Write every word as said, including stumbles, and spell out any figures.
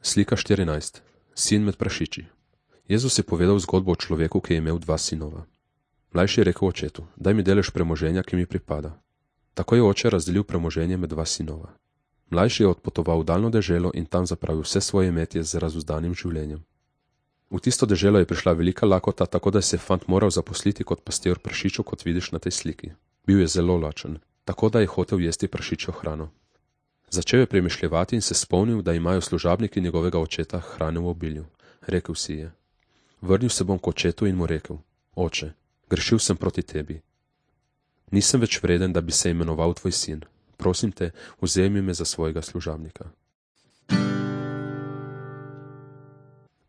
Slika štirinajst. Sin med prašiči. Jezus je povedal zgodbo o človeku, ki je imel dva sinova. Mlajši je rekel očetu: daj mi delež premoženja, ki mi pripada. Tako je oče razdelil premoženje med dva sinova. Mlajši je odpotoval v daljno deželo in tam zapravil vse svoje imetje z razuzdanim življenjem. V tisto deželo je prišla velika lakota, tako da se je fant moral zaposliti kot pastir prašičev, kot vidiš na tej sliki. Bil je zelo lačen, tako da je hotel jesti prašičjo hrano. Začel je premišljevati in se spomnil, da imajo služabniki njegovega očeta hrane v obilju. Rekel si je: vrnil se bom k očetu in mu rekel: oče, grešil sem proti tebi. Nisem več vreden, da bi se imenoval tvoj sin. Prosim te, vzemi me za svojega služabnika.